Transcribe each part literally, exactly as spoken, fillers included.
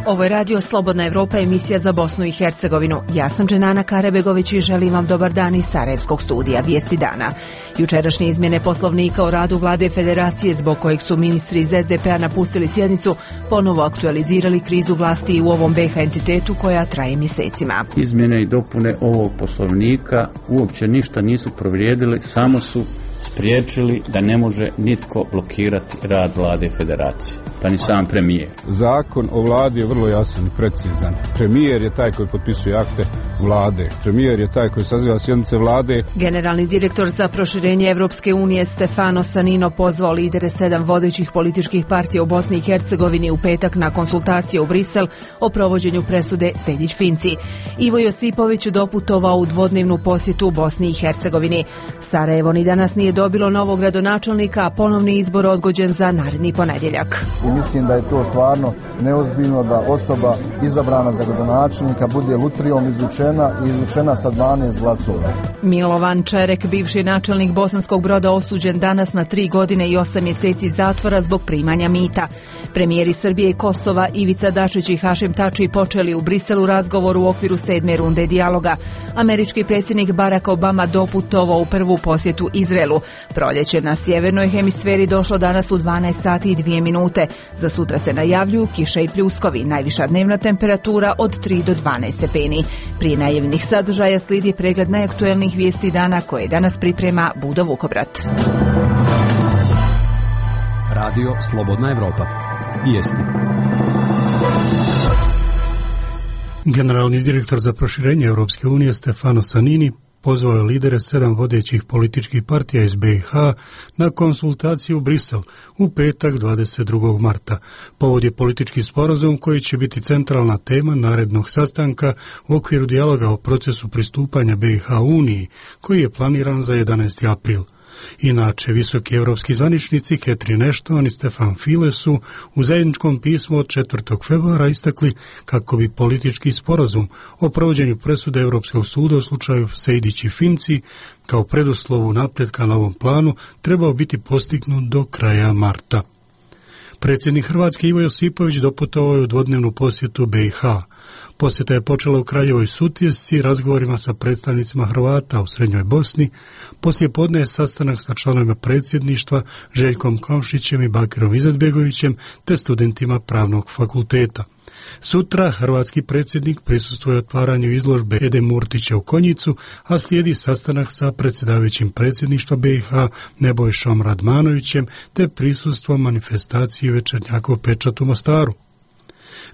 Ovo je radio Slobodna Evropa, emisija za Bosnu i Hercegovinu. Ja sam Dženana Karebegović i želim vam dobar dan iz Sarajevskog studija Vijesti dana. Jučerašnje izmjene poslovnika o radu vlade federacije, zbog kojeg su ministri iz es de pe a napustili sjednicu, ponovo aktualizirali krizu vlasti u ovom be ha entitetu koja traje mjesecima. Izmjene i dopune ovog poslovnika uopće ništa nisu povrijedili, samo su spriječili da ne može nitko blokirati rad vlade federacije, pa ni sam premijer. Zakon o vladi je vrlo jasan i precizan. Premijer je taj koji potpisuje akte vlade. Premijer je taj koji saziva sjednice vlade. Generalni direktor za proširenje Evropske unije Stefano Sanino pozvao lidere sedam vodećih političkih partija u Bosni i Hercegovini u petak na konsultacije u Brisel o provođenju presude Sejdić-Finci. Ivo Josipović doputovao u dvodnevnu posjetu u Bosni i Hercegovini. Sarajevo ni danas nije dobilo novog gradonačelnika, a ponovni izbor odgođen za naredni ponedjeljak. I mislim da je to stvarno neozbiljno da osoba izabrana za gradonačelnika bude lutrijom izvučena i izvučena sa dvanaest glasova. Milovan Čerek, bivši načelnik Bosanskog Broda, osuđen danas na tri godine i osam mjeseci zatvora zbog primanja mita. Premijeri Srbije i Kosova Ivica Dačić i Hašim Tači počeli u Briselu razgovor u okviru sedme runde dijaloga. Američki predsjednik Barack Obama doputovao u prvu posjetu Izraelu. Proljeće na sjevernoj hemisferi došlo danas u dvanaest sati i dvije minute. Za sutra se najavljuju kiše i pljuskovi, najviša dnevna temperatura od tri do dvanaest stepeni. Prije najavljenih sadržaja slijedi pregled najaktuelnijih vijesti dana koje danas priprema Budo Vukobrat. Radio Slobodna Evropa. Vijesti. Generalni direktor za proširenje Europske unije Stefano Sanini pozvao je lidere sedam vodećih političkih partija iz be ha na konsultaciju u Brisel u petak dvadeset drugog marta. Povod je politički sporazum koji će biti centralna tema narednog sastanka u okviru dijaloga o procesu pristupanja be ha Uniji, koji je planiran za jedanaesti april. Inače, visoki evropski zvaničnici Catherine Ashton i Stefan Füle su u zajedničkom pismu od četvrtog februara istakli kako bi politički sporazum o provođenju presude Europskog suda u slučaju Sejdić i Finci kao preduslovu napretka na ovom planu trebao biti postignut do kraja marta. Predsjednik Hrvatske Ivo Josipović doputovao je u dvodnevnu posjetu be ha. Posjeta je počela u Kraljevoj Sutjesci razgovorima sa predstavnicima Hrvata u Srednjoj Bosni. Poslije podne je sastanak sa članovima predsjedništva Željkom Komšićem i Bakirom Izetbegovićem te studentima Pravnog fakulteta. Sutra hrvatski predsjednik prisustvuje otvaranju izložbe Ede Murtića u Konjicu, a slijedi sastanak sa predsjedavajućim predsjedništva be ha Nebojšom Radmanovićem te prisustvo manifestaciji Večernjakov pečat u Mostaru.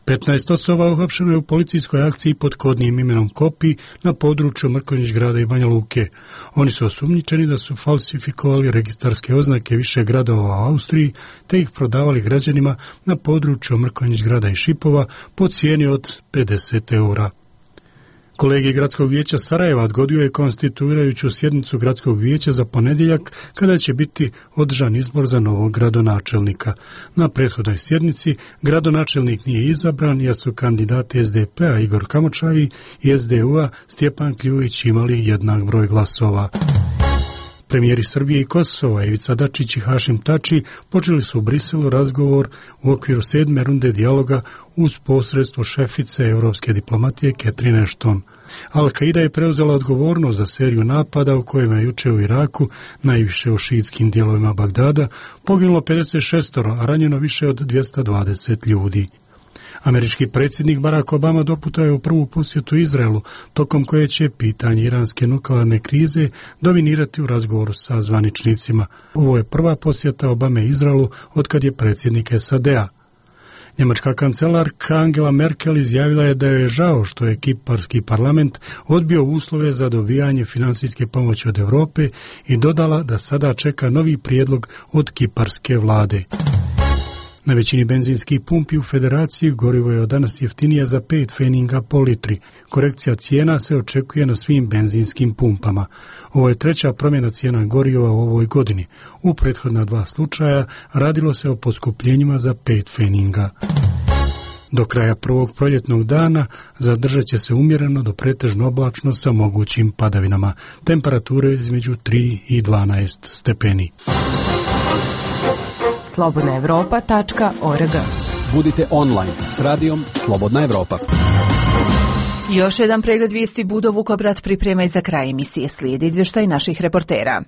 petnaest osoba uhapšeno je u policijskoj akciji pod kodnim imenom Kopi na području Mrkonjić grada i Banja Luke. Oni su osumnjičeni da su falsifikovali registarske oznake više gradova u Austriji te ih prodavali građanima na području Mrkonjić grada i Šipova po cijeni od pedeset eura. Kolegij Gradskog vijeća Sarajeva odgodio je konstituirajuću sjednicu Gradskog vijeća za ponedjeljak kada će biti održan izbor za novog gradonačelnika. Na prethodnoj sjednici gradonačelnik nije izabran jer su kandidati es de pe a Igor Kamočaji i es de u a Stjepan Kljujić imali jednak broj glasova. Premijeri Srbije i Kosova Ivica Dačić i Hašim Tači počeli su u Briselu razgovor u okviru sedme runde dijaloga uz posredstvo šefice europske diplomatije Catherine Ashton. Al-Qaida je preuzela odgovornost za seriju napada u kojima je juče u Iraku, najviše u šiitskim dijelovima Bagdada, poginulo pedeset šest, a ranjeno više od dvjesto dvadeset ljudi. Američki predsjednik Barack Obama doputao je u prvu posjetu Izraelu, tokom koje će pitanje iranske nuklearne krize dominirati u razgovoru sa zvaničnicima. Ovo je prva posjeta Obame Izraelu otkad je predsjednik es a de a. Njemačka kancelarka Angela Merkel izjavila je da joj je žao što je kiparski parlament odbio uslove za dobivanje financijske pomoći od Europe i dodala da sada čeka novi prijedlog od kiparske vlade. Na većini benzinskih pumpi u federaciji gorivo je od danas jeftinije za pet pfeninga po litri. Korekcija cijena se očekuje na svim benzinskim pumpama. Ovo je treća promjena cijena goriva u ovoj godini. U prethodna dva slučaja radilo se o poskupljenjima za pet pfeninga. Do kraja prvog proljetnog dana zadržat će se umjereno do pretežno oblačno sa mogućim padavinama. Temperature između tri i dvanaest stepeni. slobodna evropa tačka org Budite online s radijom Slobodna Evropa. Još jedan pregled vijesti Budo Vukobrad priprema i za kraj emisije. Slijedi izvještaj naših reportera.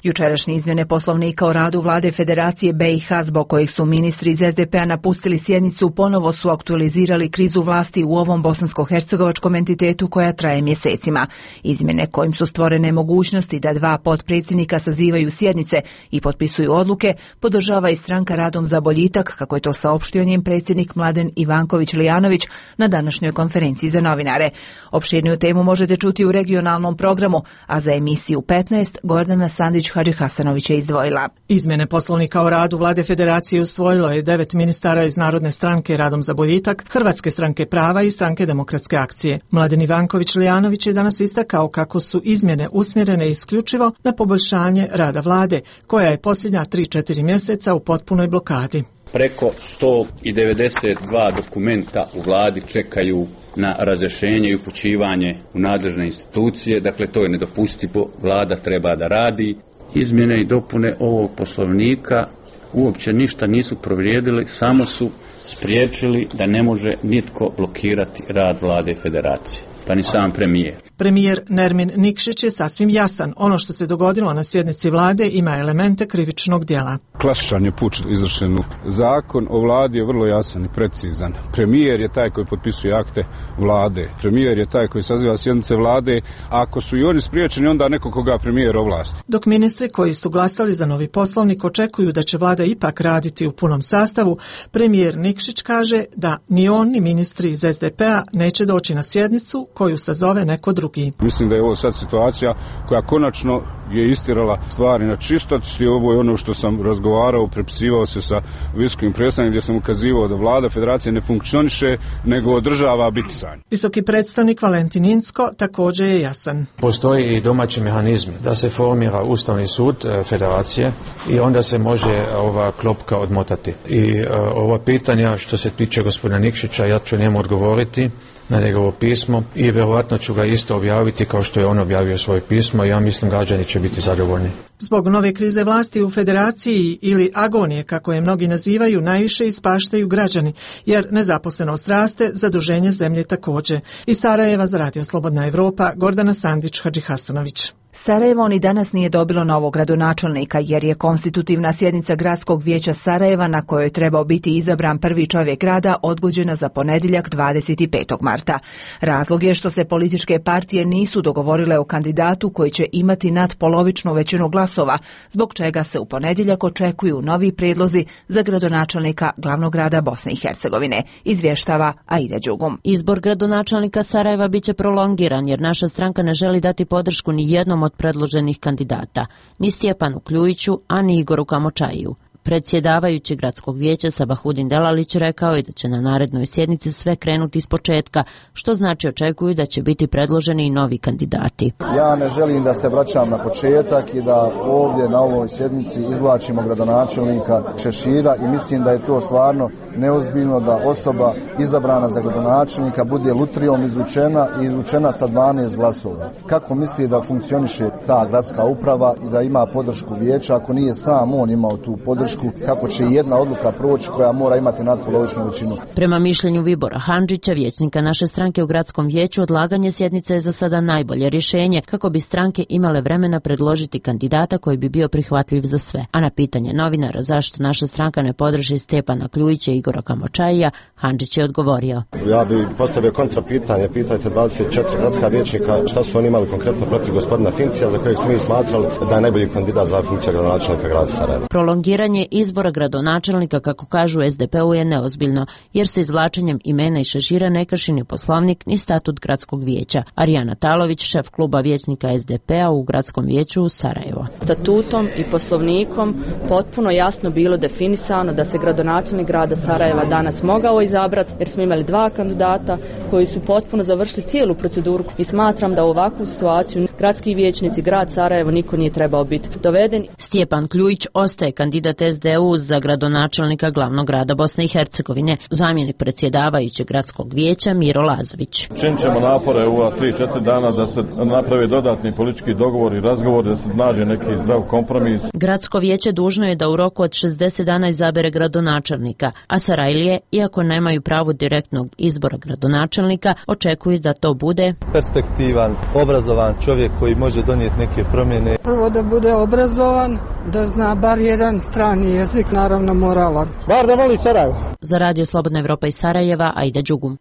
Jučerašnje izmjene Poslovnika o radu Vlade Federacije B i H zbog kojih su ministri iz S D P-a napustili sjednicu ponovo su aktualizirali krizu vlasti u ovom bosansko-hercegovačkom entitetu koja traje mjesecima. Izmjene kojim su stvorene mogućnosti da dva potpredsjednika sazivaju sjednice i potpisuju odluke podržava i stranka Radom za boljitak, kako je to saopštio njen predsjednik Mladen Ivanković-Lijanović na današnjoj konferenciji za novinare. Opširniju temu možete čuti u regionalnom programu, a za emisiju petnaest Gordana Sandić Hadži Hasanović je izdvojila. Izmjene Poslovnika o radu Vlade Federacije usvojilo je devet ministara iz Narodne stranke Radom za boljitak, Hrvatske stranke prava i Stranke demokratske akcije. Mladen Ivanković-Lijanović je danas istakao kako su izmjene usmjerene isključivo na poboljšanje rada Vlade, koja je posljednja tri četiri mjeseca u potpunoj blokadi. Preko sto devedeset dva dokumenta u vladi čekaju na razrješenje i upućivanje u nadležne institucije, dakle to je nedopustivo, vlada treba da radi. Izmjene i dopune ovog poslovnika uopće ništa nisu povrijedili, samo su spriječili da ne može nitko blokirati rad Vlade Federacije, pa ni sam premijer. Premijer Nermin Nikšić je sasvim jasan. Ono što se dogodilo na sjednici vlade ima elemente krivičnog djela. Klasičan je puč izvršen. Zakon o vladi je vrlo jasan i precizan. Premijer je taj koji potpisuje akte vlade. Premijer je taj koji saziva sjednice vlade. Ako su i oni spriječeni, onda neko koga premijer ovlasti. Dok ministri koji su glasali za novi poslovnik očekuju da će vlada ipak raditi u punom sastavu, premijer Nikšić kaže da ni on ni ministri iz S D P-a neće doći na sjednicu koju sazove neko drugi. Mislim da je ovo sad situacija koja konačno je istirala stvari na čistac i ovo je ono što sam razgovarao, prepisivao se sa visokim predstavnikom gdje sam ukazivao da vlada Federacije ne funkcioniše nego održava bitisanje. Visoki predstavnik Valentin Incko također je jasan. Postoji i domaći mehanizmi da se formira Ustavni sud Federacije i onda se može ova klopka odmotati. I uh, ova pitanja što se tiče gospodina Nikšića, ja ću njemu odgovoriti na njegovo pismo i vjerojatno ću ga isto objaviti kao što je on objavio svoje pismo i ja mislim građani će biti zadovoljni. Zbog nove krize vlasti u Federaciji ili agonije, kako je mnogi nazivaju, najviše ispaštaju građani, jer nezaposlenost raste, zaduženje zemlje također. Iz Sarajeva za Radio Slobodna Evropa, Gordana Sandić Hadži Hasanović. Sarajevo ni danas nije dobilo novog gradonačelnika jer je konstitutivna sjednica Gradskog vijeća Sarajeva na kojoj je trebao biti izabran prvi čovjek grada odgođena za ponedjeljak dvadeset petog marta. Razlog je što se političke partije nisu dogovorile o kandidatu koji će imati nadpolovičnu većinu glasova, zbog čega se u ponedjeljak očekuju novi prijedlozi za gradonačelnika glavnog grada Bosne i Hercegovine, izvještava Aida Đugum. Izbor gradonačelnika Sarajeva biće prolongiran jer naša stranka ne želi dati podršku ni jednom od predloženih kandidata, ni Stjepanu Kljujiću, a ni Igoru Kamočajiju. Predsjedavajući Gradskog vijeća Sabahudin Delalić rekao je da će na narednoj sjednici sve krenuti iz početka, što znači očekuju da će biti predloženi i novi kandidati. Ja ne želim da se vraćam na početak i da ovdje na ovoj sjednici izvlačimo gradonačelnika Šešira i mislim da je to stvarno neozbiljno da osoba izabrana za gradonačelnika bude lutrijom izvučena i izvučena sa dvanaest glasova. Kako misli da funkcioniše ta gradska uprava i da ima podršku vijeća ako nije sam on imao tu podršku? Kako će jedna odluka proći koja mora imati nadpolovičnu većinu. Prema mišljenju Vibora Handžića, vijećnika naše stranke u Gradskom vijeću, odlaganje sjednice je za sada najbolje rješenje kako bi stranke imale vremena predložiti kandidata koji bi bio prihvatljiv za sve. A na pitanje novinara zašto naša stranka ne podrži Stjepana Kljujića i Igora Kamočajija, Handžić je odgovorio. Ja bih postavio kontra pitanje, pitajte dvadeset četiri gradska vijećnika šta su oni imali konkretno protiv gospodina Fincija za kojeg smo mi smatrali da je najbolji kandidat za funkciju gradonačelnika grada Sarajeva. Prolongiranje izbora gradonačelnika, kako kažu S D P-u, je neozbiljno, jer se izvlačenjem imena i Šešira ne krši ni poslovnik ni statut Gradskog vijeća. Arijana Talović, šef kluba vijećnika S D P-a u Gradskom vijeću u Sarajevo. Statutom i poslovnikom potpuno jasno bilo definisano da se gradonačelnik grada Sarajeva danas mogao izabrati, jer smo imali dva kandidata koji su potpuno završili cijelu proceduru i smatram da u ovakvu situaciju gradski vijećnici, grad Sarajevo, niko nije trebao biti doveden. Stjepan Kljujić ostaje kandidat es de u za gradonačelnika glavnog grada Bosne i Hercegovine, zamjenik predsjedavajućeg gradskog vijeća Miro Lazović. Činit ćemo napore u ova tri četiri dana da se naprave dodatni politički dogovor i razgovor, da se nađe neki zdrav kompromis. Gradsko vijeće dužno je da u roku od šezdeset dana izabere gradonačelnika, a Sarajlije, iako nemaju pravo direktnog izbora gradonačelnika, očekuju da to bude perspektivan, obrazovan čovjek koji može donijeti neke promjene. Prvo da bude obrazovan, da zna bar jedan strani jezik, naravno moralan. Bar da voli Sarajevo. Za Radio Slobodna Evropa iz Sarajeva, Aida Đugum.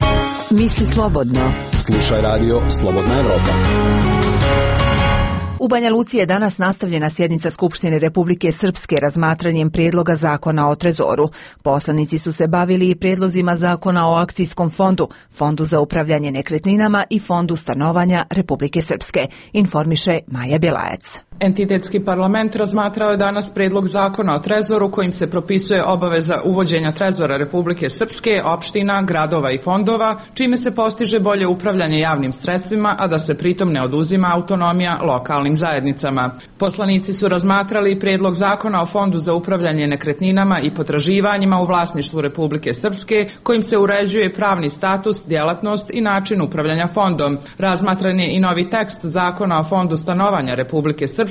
Misli slobodno. Slušaj Radio Slobodna Evropa. U Banja Luci je danas nastavljena sjednica Skupštine Republike Srpske razmatranjem prijedloga zakona o trezoru. Poslanici su se bavili i prijedlozima zakona o akcijskom fondu, fondu za upravljanje nekretninama i fondu stanovanja Republike Srpske, informiše Maja Bjelajac. Entitetski parlament razmatrao je danas prijedlog zakona o trezoru kojim se propisuje obaveza uvođenja trezora Republike Srpske, opština, gradova i fondova, čime se postiže bolje upravljanje javnim sredstvima, a da se pritom ne oduzima autonomija lokalnim zajednicama. Poslanici su razmatrali prijedlog zakona o fondu za upravljanje nekretninama i potraživanjima u vlasništvu Republike Srpske, kojim se uređuje pravni status, djelatnost i način upravljanja fondom. Razmatran je i novi tekst zakona o fondu stanovanja Republike Srpske,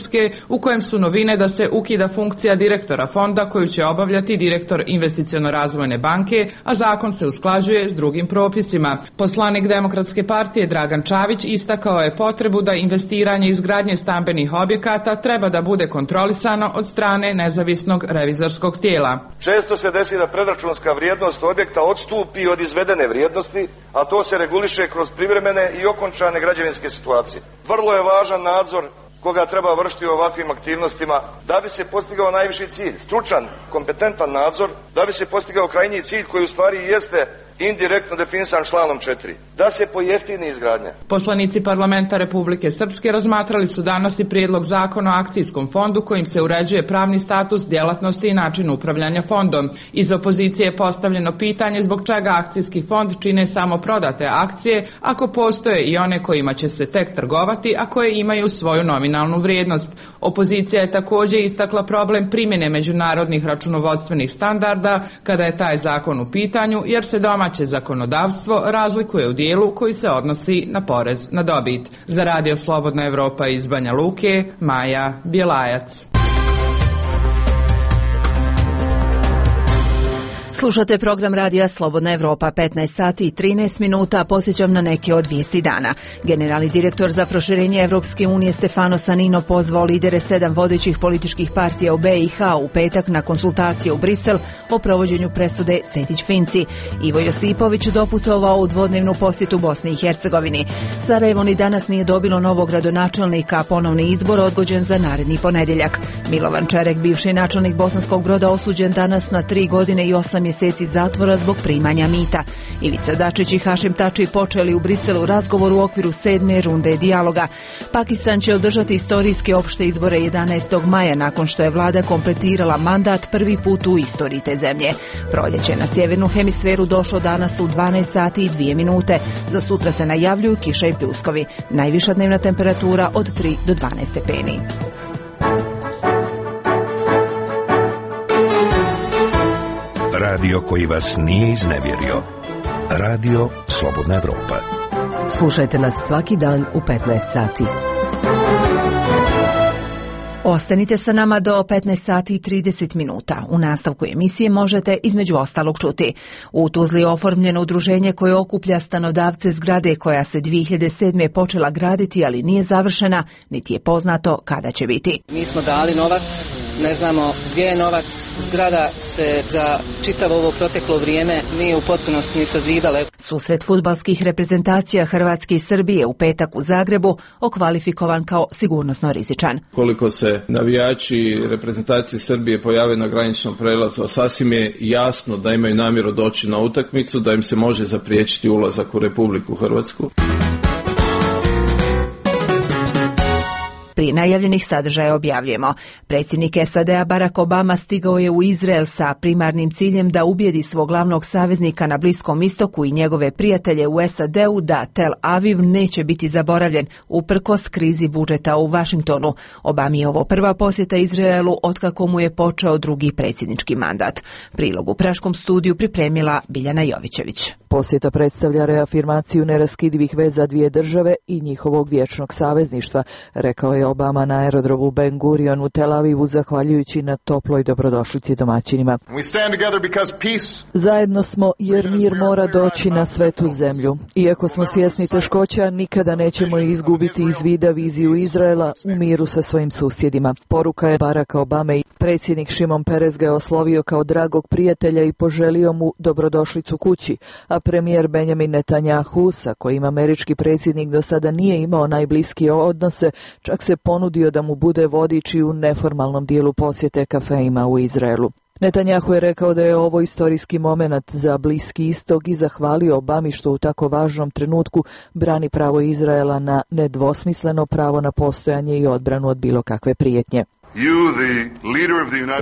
u kojem su novine da se ukida funkcija direktora fonda koju će obavljati direktor Investiciono-razvojne banke, a zakon se usklađuje s drugim propisima. Poslanik Demokratske partije Dragan Čavić istakao je potrebu da investiranje i izgradnje stambenih objekata treba da bude kontrolisano od strane nezavisnog revizorskog tijela. Često se desi da predračunska vrijednost objekta odstupi od izvedene vrijednosti, a to se reguliše kroz privremene i okončane građevinske situacije. Vrlo je važan nadzor koga treba vršiti u ovakvim aktivnostima da bi se postigao najviši cilj, stručan, kompetentan nadzor, da bi se postigao krajnji cilj koji u stvari jeste indirektno definisan članom četiri, da se pojeftini izgradnja. Poslanici parlamenta Republike Srpske razmatrali su danas i prijedlog zakona o akcijskom fondu kojim se uređuje pravni status, djelatnosti i način upravljanja fondom. Iz opozicije je postavljeno pitanje zbog čega akcijski fond čine samo prodate akcije, ako postoje i one kojima će se tek trgovati, a koje imaju svoju nominalnu vrijednost. Opozicija je također istakla problem primjene međunarodnih računovodstvenih standarda kada je taj zakon u pitanju, jer se doma Domaće zakonodavstvo razlikuje u dijelu koji se odnosi na porez na dobit. Za Radio Slobodna Evropa iz Banja Luke, Maja Bjelajac. Slušate program Radija Slobodna Evropa, petnaest sati i trinaest minuta, posjećam na neke od vijesti dana. Generalni direktor za proširenje Evropske unije Stefano Sanino pozvao lidere sedam vodećih političkih partija u be i ha u petak na konsultacije u Brisel o provođenju presude Sejdić-Finci. Ivo Josipović doputovao u dvodnevnu posjetu Bosni i Hercegovini. Sarajevo ni danas nije dobilo novog gradonačelnika, a ponovni izbor odgođen za naredni ponedjeljak. Milovan Čerek, bivši načelnik Bosanskog Broda, osuđen danas na tri godine i osam mjeseci zatvora zbog primanja mita. Ivica Dačić i Hašim Tači počeli u Briselu razgovor u okviru sedme runde dijaloga. Pakistan će održati istorijske opšte izbore jedanaestog maja nakon što je vlada kompletirala mandat prvi put u istoriji te zemlje. Proljeće na sjevernu hemisferu došlo danas u dvanaest sati i dvije minute. Za sutra se najavljuju kiša i pljuskovi. Najviša dnevna temperatura od tri do dvanaest stepeni. Radio koji vas nije iznevjerio. Radio Slobodna Evropa. Slušajte nas svaki dan u petnaest sati. Ostanite sa nama do petnaest sati i trideset minuta. U nastavku emisije možete između ostalog čuti. U Tuzli je oformljeno udruženje koje okuplja stanodavce zgrade koja se dvije hiljade sedme počela graditi, ali nije završena, niti je poznato kada će biti. Mi smo dali novac, ne znamo gdje je novac. Zgrada se za čitavo ovo proteklo vrijeme nije u potpunosti ni sazidala. Susret fudbalskih reprezentacija Hrvatske i Srbije u petak u Zagrebu okvalifikovan kao sigurnosno rizičan. Koliko se navijači reprezentacije Srbije pojave na graničnom prelazu, sasvim je jasno da imaju namjeru doći na utakmicu, da im se može zapriječiti ulazak u Republiku Hrvatsku. Prije najavljenih sadržaja objavljujemo. Predsjednik S A D-a Barack Obama stigao je u Izrael sa primarnim ciljem da ubijedi svog glavnog saveznika na Bliskom istoku i njegove prijatelje u S A D-u da Tel Aviv neće biti zaboravljen uprkos krizi budžeta u Vašingtonu. Obami je ovo prva posjeta Izraelu otkako mu je počeo drugi predsjednički mandat. Prilog u Praškom studiju pripremila Biljana Jovićević. Posjeta predstavlja reafirmaciju neraskidivih veza dvije države i njihovog vječnog savezništva, rekao je Obama na aerodromu Ben Gurion u Tel Avivu zahvaljujući na toploj dobrodošlici domaćinima. Zajedno smo jer mir mora doći na svetu zemlju. Iako smo svjesni teškoća, nikada nećemo izgubiti iz vida viziju Izraela u miru sa svojim susjedima. Poruka je Baracka Obame i predsjednik Šimon Perez ga je oslovio kao dragog prijatelja i poželio mu dobrodošlicu kući, a premijer Benjamin Netanjahu, sa kojim američki predsjednik do sada nije imao najbliskije odnose, čak se ponudio da mu bude vodič i u neformalnom dijelu posjete kafeima u Izraelu. Netanjahu je rekao da je ovo istorijski moment za Bliski istok i zahvalio Obami što u tako važnom trenutku brani pravo Izraela na nedvosmisleno pravo na postojanje i odbranu od bilo kakve prijetnje.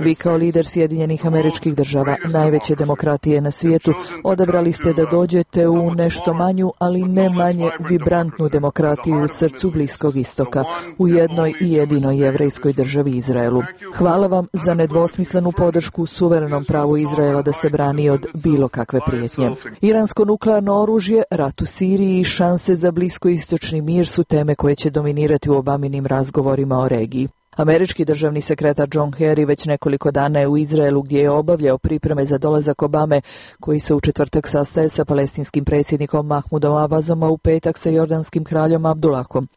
Vi kao lider Sjedinjenih Američkih Država, najveće demokratije na svijetu, odabrali ste da dođete u nešto manju, ali ne manje vibrantnu demokratiju u srcu Bliskog istoka, u jednoj i jedinoj jevrejskoj državi Izraelu. Hvala vam za nedvosmislenu podršku suverenom pravu Izraela da se brani od bilo kakve prijetnje. Iransko nuklearno oružje, rat u Siriji i šanse za bliskoistočni mir su teme koje će dominirati u Obaminim razgovorima o regiji. Američki državni sekretar John Kerry već nekoliko dana je u Izraelu gdje je obavljao pripreme za dolazak Obame, koji se u četvrtak sastaje sa palestinskim predsjednikom Mahmudom Abbasom, a u petak sa jordanskim kraljom Abdullahom.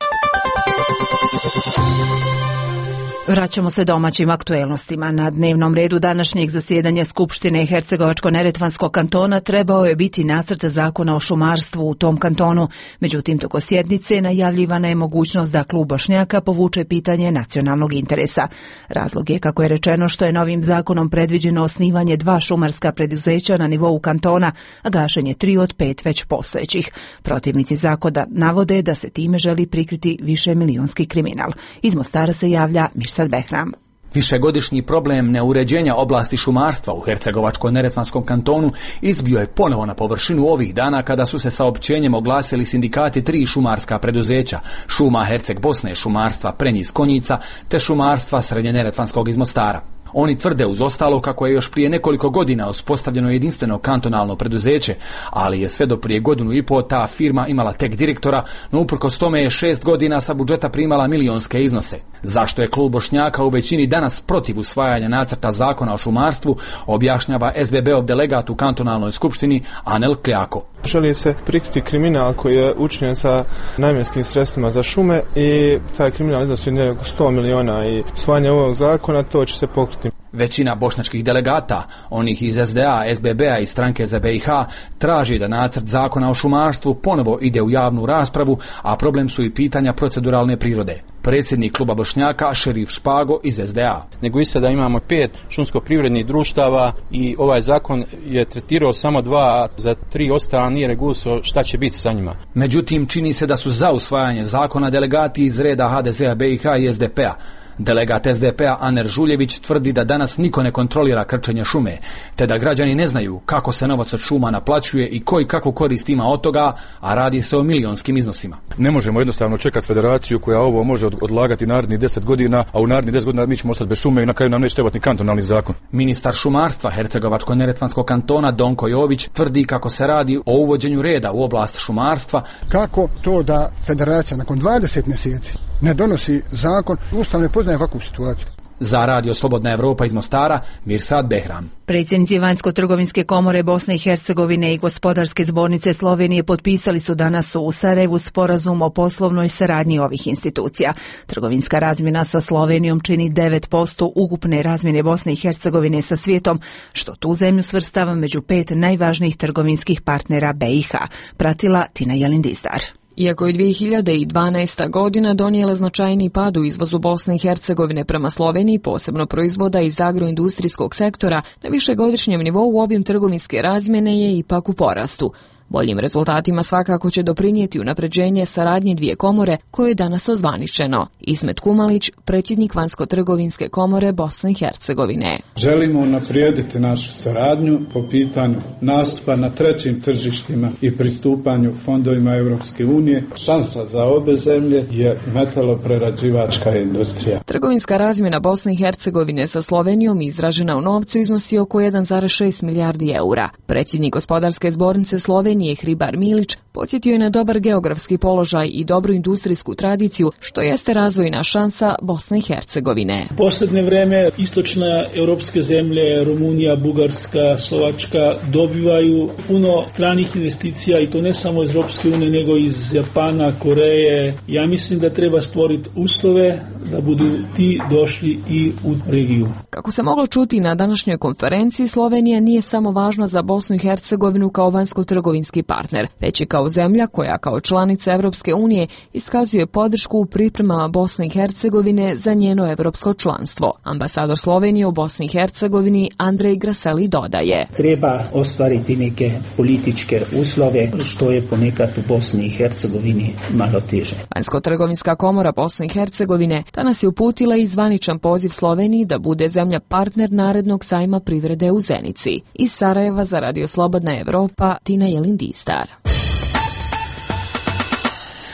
Vraćamo se domaćim aktuelnostima. Na dnevnom redu današnjeg zasjedanja Skupštine Hercegovačko-neretvanskog kantona trebao je biti nacrt zakona o šumarstvu u tom kantonu. Međutim, toko sjednice najavljivana je mogućnost da klub Bošnjaka povuče pitanje nacionalnog interesa. Razlog je, kako je rečeno, što je novim zakonom predviđeno osnivanje dva šumarska preduzeća na nivou kantona, a gašenje tri od pet već postojećih. Protivnici zakona navode da se time želi prikriti više milionski kriminal. Iz Mostara se javlja Mirsad Behram. Višegodišnji problem neuređenja oblasti šumarstva u Hercegovačko-neretvanskom kantonu izbio je ponovo na površinu ovih dana kada su se saopćenjem oglasili sindikati tri šumarska preduzeća, Šuma Herceg Bosne, Šumarstva Prenjiz Konjica te Šumarstva Srednje-neretvanskog iz Mostara. Oni tvrde uz ostalo kako je još prije nekoliko godina uspostavljeno jedinstveno kantonalno preduzeće, ali je sve do prije godinu i pol ta firma imala tek direktora, no uprkos tome je šest godina sa budžeta primala milionske iznose. Zašto je klub Bošnjaka u većini danas protiv usvajanja nacrta zakona o šumarstvu, objašnjava S B B-ov delegat u kantonalnoj skupštini Anel Kljako. Želi se prikriti kriminal koji je učinjen sa namjenskim sredstvima za šume i taj kriminal iznosi nekako sto miliona i usvajanje ovog zakona to će se pokriti. Većina bošnjačkih delegata, onih iz S D A, S B B-a i stranke za B i H, traži da nacrt zakona o šumarstvu ponovo ide u javnu raspravu, a problem su i pitanja proceduralne prirode. Predsjednik kluba Bošnjaka Šerif Špago iz S D A. Nego i sada imamo pet šumsko-privrednih društava i ovaj zakon je tretirao samo dva, a za tri ostala nije regulisao šta će biti sa njima. Međutim, čini se da su za usvajanje zakona delegati iz reda H D Z-a, B i H i S D P-a. Delegat S D P-a Aner Žuljević tvrdi da danas niko ne kontrolira krčenje šume, te da građani ne znaju kako se novac od šuma naplaćuje i koji kakvu korist ima od toga, a radi se o milionskim iznosima. Ne možemo jednostavno čekati federaciju koja ovo može odlagati narednih deset godina, a u narednih deset godina mi ćemo ostati bez šume i na kraju nam neće trebati ni kantonalni zakon. Ministar šumarstva Hercegovačko-neretvanskog kantona Donko Jović tvrdi kako se radi o uvođenju reda u oblast šumarstva. Kako to da federacija nakon dvadeset mjeseci ne donosi zakon, Ustav ne poznaje ovakvu situaciju. Za Radio Slobodna Evropa iz Mostara, Mirsad Behram. Predsjednici Vanjsko-trgovinske komore Bosne i Hercegovine i Gospodarske zbornice Slovenije potpisali su danas u Sarajevu sporazum o poslovnoj saradnji ovih institucija. Trgovinska razmjena sa Slovenijom čini devet posto ukupne razmjene Bosne i Hercegovine sa svijetom, što tu zemlju svrstava među pet najvažnijih trgovinskih partnera B i H. Pratila Tina Jelindizdar. Iako je dvije hiljade dvanaesta. godina donijela značajni pad u izvozu Bosne i Hercegovine prema Sloveniji, posebno proizvoda iz agroindustrijskog sektora, na višegodišnjem nivou obim trgovinske razmjene je ipak u porastu. Boljim rezultatima svakako će doprinijeti unapređenje saradnje dvije komore koje je danas ozvaničeno. Ismet Kumalić, predsjednik Vanjsko-trgovinske komore Bosne i Hercegovine. Želimo unaprijediti našu saradnju po pitanju nastupa na trećim tržištima i pristupanju fondovima Europske unije. Šansa za obe zemlje je metaloprerađivačka industrija. Trgovinska razmjena Bosne i Hercegovine sa Slovenijom izražena u novcu iznosi oko jedan zarez šest milijardi eura. Predsjednik Gospodarske zbornice Slovenije Hribar Milić podsjetio je na dobar geografski položaj i dobru industrijsku tradiciju, što jeste razvojna šansa Bosne i Hercegovine. U posljednje vreme istočne europske zemlje, Rumunija, Bugarska, Slovačka dobivaju puno stranih investicija i to ne samo iz Europske unije nego iz Japana, Koreje. Ja mislim da treba stvoriti uslove da budu ti došli i u regiju. Kako se moglo čuti na današnjoj konferenciji, Slovenija nije samo važna za Bosnu i Hercegovinu kao vanjsko-trgovinski partner, već i kao zemlja koja kao članica Europske unije iskazuje podršku u pripremama Bosne i Hercegovine za njeno europsko članstvo. Ambasador Slovenije u Bosni i Hercegovini Andrej Graseli dodaje: Treba ostvariti neke političke uslove, što je ponekad u Bosni i Hercegovini malo teže. Vanjsko-trgovinska komora Bosne i Hercegovine danas je uputila i zvaničan poziv Sloveniji da bude zemlja partner narednog sajma privrede u Zenici. Iz Sarajeva za Radio Slobodna Evropa, Tina Jelindistar.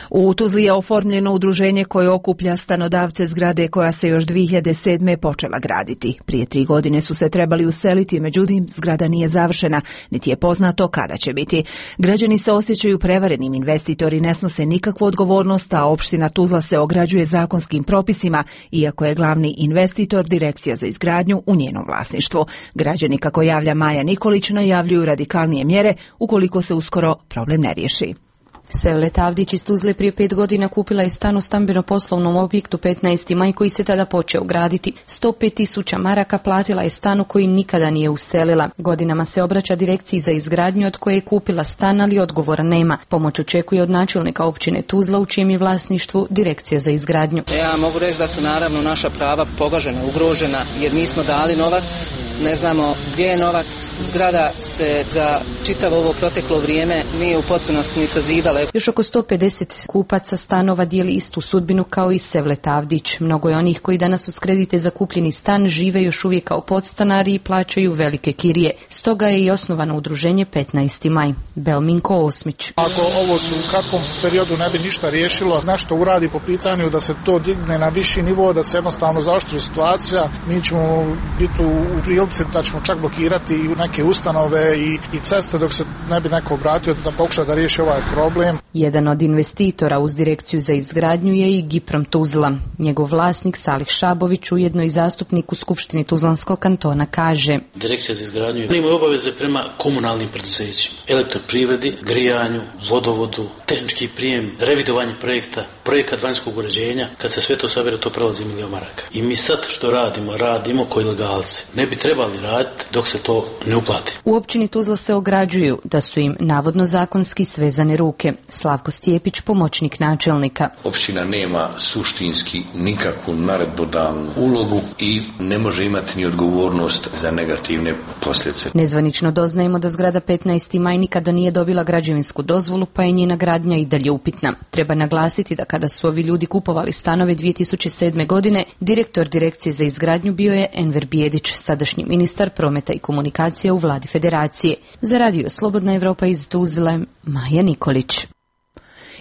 U Tuzli je oformljeno udruženje koje okuplja stanodavce zgrade koja se još dvije hiljade sedme počela graditi. Prije tri godine su se trebali useliti, međutim zgrada nije završena, niti je poznato kada će biti. Građani se osjećaju prevarenim, investitori ne snose nikakvu odgovornost, a opština Tuzla se ograđuje zakonskim propisima, iako je glavni investitor Direkcija za izgradnju u njenom vlasništvu. Građani, kako javlja Maja Nikolić, najavljuju radikalnije mjere ukoliko se uskoro problem ne riješi. Sevle Tavdić iz Tuzle prije pet godina kupila je stan u stambeno-poslovnom objektu petnaesti maj koji se tada počeo graditi. sto pet tisuća maraka platila je stanu koji nikada nije uselila. Godinama se obraća Direkciji za izgradnju od koje je kupila stan, ali odgovora nema. Pomoć očekuje od načelnika općine Tuzla u čijem je vlasništvu Direkcija za izgradnju. Ja mogu reći da su naravno naša prava pogažena, ugrožena, jer mi smo dali novac, ne znamo gdje je novac. Zgrada se za čitavo ovo proteklo vrijeme nije u potpunosti ni sazidala. Još oko sto pedeset kupaca stanova dijeli istu sudbinu kao i Sevle Tavdić. Mnogo je onih koji danas uz kredite za kupljeni stan žive još uvijek kao podstanari i plaćaju velike kirije. Stoga je i osnovano udruženje petnaesti maj. Belminko Osmić. Ako ovo se u kratkom periodu ne bi ništa riješilo, nešto uradi po pitanju da se to digne na viši nivo, da se jednostavno zaoštri situacija, mi ćemo biti u prilici da ćemo čak blokirati i neke ustanove i, i ceste dok se ne bi neko obratio da pokuša da riješi ovaj problem. Jedan od investitora uz Direkciju za izgradnju je i Giprom Tuzla. Njegov vlasnik Salih Šabović, ujedno i zastupnik u Skupštini Tuzlanskog kantona, kaže: Direkcija za izgradnju ima obaveze prema komunalnim preduzećima, elektroprivredi, grijanju, vodovodu, tehnički prijem, revidovanje projekta, projekat vanjskog uređenja. Kad se sve to sabere, to prelazi milijon maraka. I mi sad što radimo, radimo ko ilegalci. Ne bi trebali raditi dok se to ne uplati. U općini Tuzla se ograđuju da su im navodno zakonski svezane ruke. Slavko Stjepić, pomoćnik načelnika. Općina nema suštinski nikakvu naredbodavnu ulogu i ne može imati ni odgovornost za negativne posljedice. Nezvanično doznajemo da zgrada petnaesti maj nikada nije dobila građevinsku dozvolu, pa je njena gradnja i dalje upitna. Treba naglasiti da kada su ovi ljudi kupovali stanove dvije tisuće sedme. godine, direktor Direkcije za izgradnju bio je Enver Bijedić, sadašnji ministar prometa i komunikacija u vladi federacije. Za Radio Slobodna Evropa iz Tuzle, Maja Nikolić.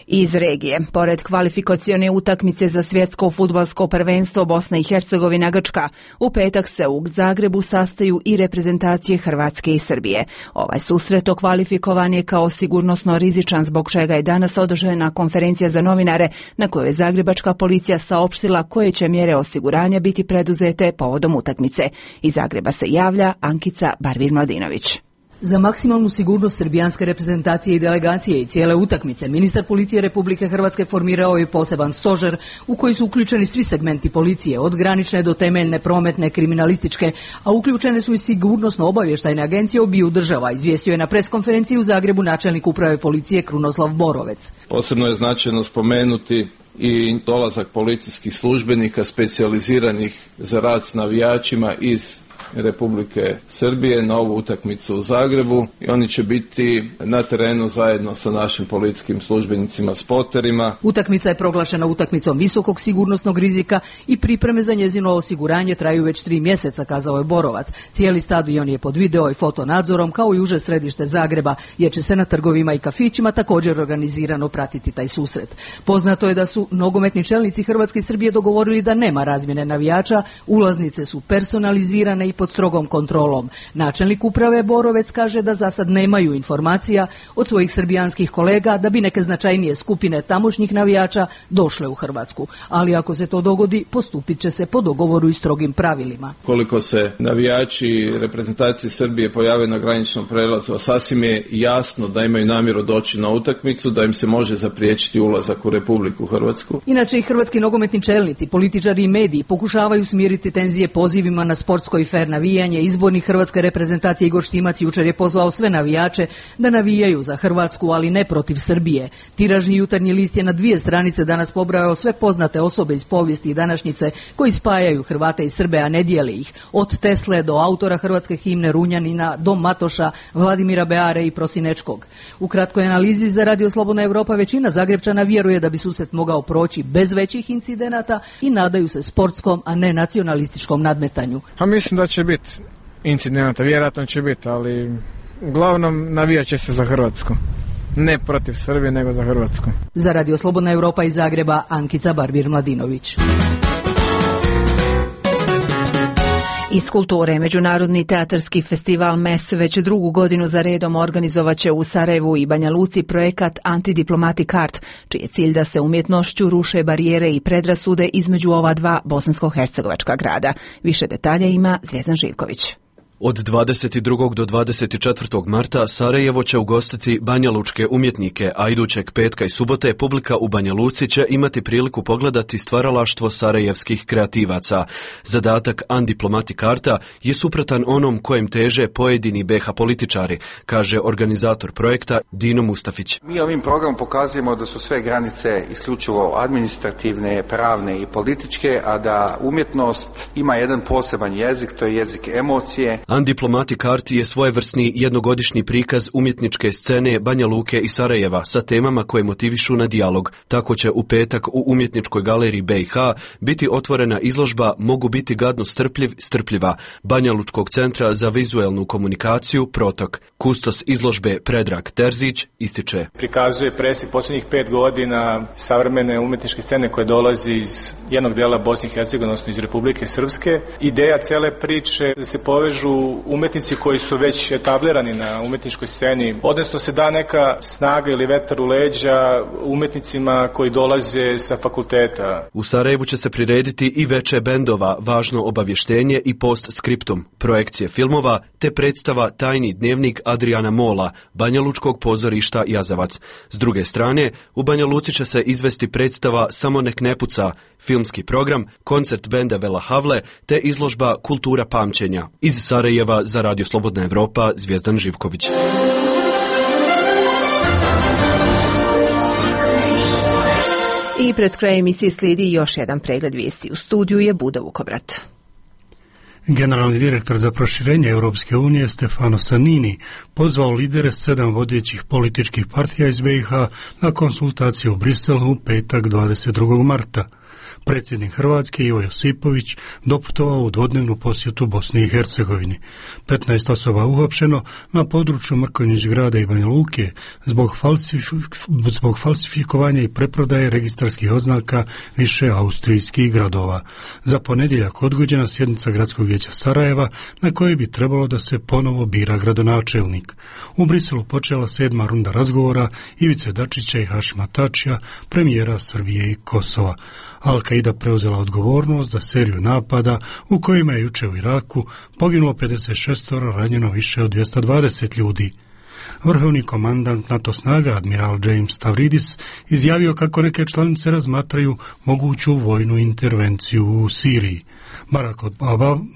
Iz regije, pored kvalifikacione utakmice za svjetsko fudbalsko prvenstvo Bosna i Hercegovina Grčka, u petak se u Zagrebu sastaju i reprezentacije Hrvatske i Srbije. Ovaj susret okvalifikovan je kao sigurnosno rizičan, zbog čega je danas održana konferencija za novinare na kojoj je zagrebačka policija saopštila koje će mjere osiguranja biti preduzete povodom utakmice. Iz Zagreba se javlja Ankica Barvir-Mladinović. Za maksimalnu sigurnost srbijanske reprezentacije i delegacije i cijele utakmice, ministar policije Republike Hrvatske formirao je poseban stožer u koji su uključeni svi segmenti policije, od granične do temeljne, prometne, kriminalističke, a uključene su i sigurnosno-obavještajne agencije obiju država, izvijestio je na preskonferenciji u Zagrebu načelnik uprave policije Krunoslav Borovec. Posebno je značajno spomenuti i dolazak policijskih službenika specijaliziranih za rad s navijačima iz Republike Srbije na ovu utakmicu u Zagrebu i oni će biti na terenu zajedno sa našim policijskim službenicima, spoterima. Utakmica je proglašena utakmicom visokog sigurnosnog rizika i pripreme za njezino osiguranje traju već tri mjeseca, kazao je Borovac. Cijeli stadion je pod video i fotonadzorom kao i uže središte Zagreba, jer će se na trgovima i kafićima također organizirano pratiti taj susret. Poznato je da su nogometni čelnici Hrvatske i Srbije dogovorili da nema razmjene navijača, ulaznice su personalizirane i pod strogom kontrolom. Načelnik uprave Borovec kaže da za sad nemaju informacija od svojih srbijanskih kolega da bi neke značajnije skupine tamošnjih navijača došle u Hrvatsku. Ali ako se to dogodi, postupit će se po dogovoru i strogim pravilima. Koliko se navijači reprezentacije Srbije pojave na graničnom prelazu, sasvim je jasno da imaju namjeru doći na utakmicu, da im se može zapriječiti ulazak u Republiku Hrvatsku. Inače i hrvatski nogometni čelnici, političari i mediji pokušavaju smiriti tenzije pozivima na sportsko i fer navijanje. Izbornik hrvatske reprezentacije Igor Štimac jučer je pozvao sve navijače da navijaju za Hrvatsku, ali ne protiv Srbije. Tiražni Jutarnji list je na dvije stranice danas pobrojao sve poznate osobe iz povijesti i današnjice koji spajaju Hrvate i Srbe, a ne dijele ih. Od Tesle do autora hrvatske himne Runjanina, do Matoša, Vladimira Beare i Prosinečkog. U kratkoj analizi za Radio Slobodna Europa većina Zagrebčana vjeruje da bi susret mogao proći bez većih incidenata i nadaju se sportskom, a ne nacionalističkom nadmetanju. A mislim da će biti incidenata, vjerojatno će biti, ali uglavnom navijat će se za Hrvatsku. Ne protiv Srbije, nego za Hrvatsku. Za Radio Slobodna Europa iz Zagreba, Ankica Barbir-Mladinović. Iz kulture, Međunarodni teatarski festival M E S već drugu godinu za redom organizovaće u Sarajevu i Banja Luci projekat Antidiplomatic Art, čiji je cilj da se umjetnošću ruše barijere i predrasude između ova dva bosansko-hercegovačka grada. Više detalja ima Zvjezdan Živković. Od dvadeset drugog do dvadeset četvrtog marta Sarajevo će ugostiti banjalučke umjetnike, a idućeg petka i subote publika u Banja Luci će imati priliku pogledati stvaralaštvo sarajevskih kreativaca. Zadatak Undiplomatic Arta je suprotan onom kojem teže pojedini B H političari, kaže organizator projekta Dino Mustafić. Mi ovim programom pokazujemo da su sve granice isključivo administrativne, pravne i političke, a da umjetnost ima jedan poseban jezik, to je jezik emocije. Undiplomatic Art je svojevrsni jednogodišnji prikaz umjetničke scene Banja Luke i Sarajeva sa temama koje motivišu na dijalog. Tako će u petak u umjetničkoj galeriji B i H biti otvorena izložba Mogu biti gadno strpljiv, strpljiva Banja Lučkog centra za vizuelnu komunikaciju Protok. Kustos izložbe Predrag Terzić ističe. Prikazuje presjek posljednjih pet godina savremene umjetničke scene koje dolazi iz jednog dijela Bosne i Hercegovine, odnosno iz Republike Srpske. Ideja cele priče da se povežu umjetnici koji su već etablirani na umjetničkoj sceni, odnosno se da neka snaga ili vetar u leđa umjetnicima koji dolaze sa fakulteta. U Sarajevu će se prirediti i veče bendova, važno obavještenje i post-skriptum, projekcije filmova te predstava Tajni dnevnik Adriana Mola, Banjalučkog pozorišta Jazavac. S druge strane, u Banja Luci će se izvesti predstava Samo nek ne puca, filmski program, koncert benda Vela Havle te izložba Kultura pamćenja. Iz Sarajeva za Radio Slobodna Evropa, Zvjezdan Živković. I pred krajem emisije slijedi još jedan pregled vijesti. U studiju je Buda Vukobrat. Generalni direktor za proširenje Europske unije Stefano Sannini pozvao lidere sedam vodećih političkih partija iz B i H na konsultacije u Briselu u petak dvadeset drugog marta. Predsjednik Hrvatske Ivo Josipović doputovao u dvodnevnu posjetu Bosni i Hercegovini. petnaest osoba uhapšeno na području Mrkonjić grada i Banja Luke zbog, falsif, zbog falsifikovanja i preprodaje registarskih oznaka više austrijskih gradova. Za ponedjeljak odgođena sjednica Gradskog vijeća Sarajeva na kojoj bi trebalo da se ponovo bira gradonačelnik. U Briselu počela sedma runda razgovora Ivice Dačića i Hašima Tačija, premijera Srbije i Kosova. Al-Qaida preuzela odgovornost za seriju napada u kojima je juče u Iraku poginulo pedeset šest, ranjeno više od dvjesto dvadeset ljudi. Vrhovni komandant NATO snaga, admiral James Stavridis, izjavio kako neke članice razmatraju moguću vojnu intervenciju u Siriji.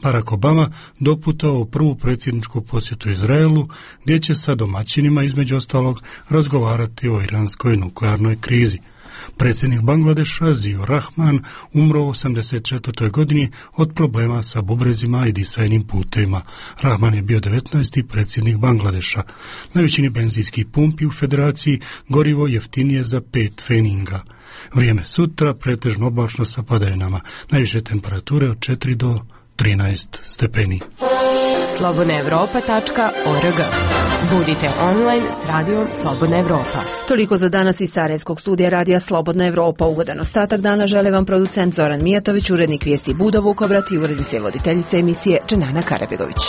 Barack Obama doputao u prvu predsjedničku posjetu Izraelu, gdje će sa domaćinima između ostalog razgovarati o iranskoj nuklearnoj krizi. Predsjednik Bangladeša Zio Rahman umro u osamdeset četvrtoj godini od problema sa bubrezima i disajnim putevima. Rahman je bio devetnaesti predsjednik Bangladeša. Na većini benzinskih pumpi u federaciji gorivo jeftinije za pet feninga. Vrijeme sutra pretežno oblačno sa padavinama. Najviše temperature od četiri do trinaest stepeni. slobodna europa tačka org. Budite online s radijom Slobodna Evropa. Toliko za danas iz Sarajevskog studija radija Slobodna Evropa. Ugodan ostatak dana žele vam producent Zoran Mijatović, urednik vijesti Budo Vukovrat i urednice voditeljice emisije Dženana Karabegović.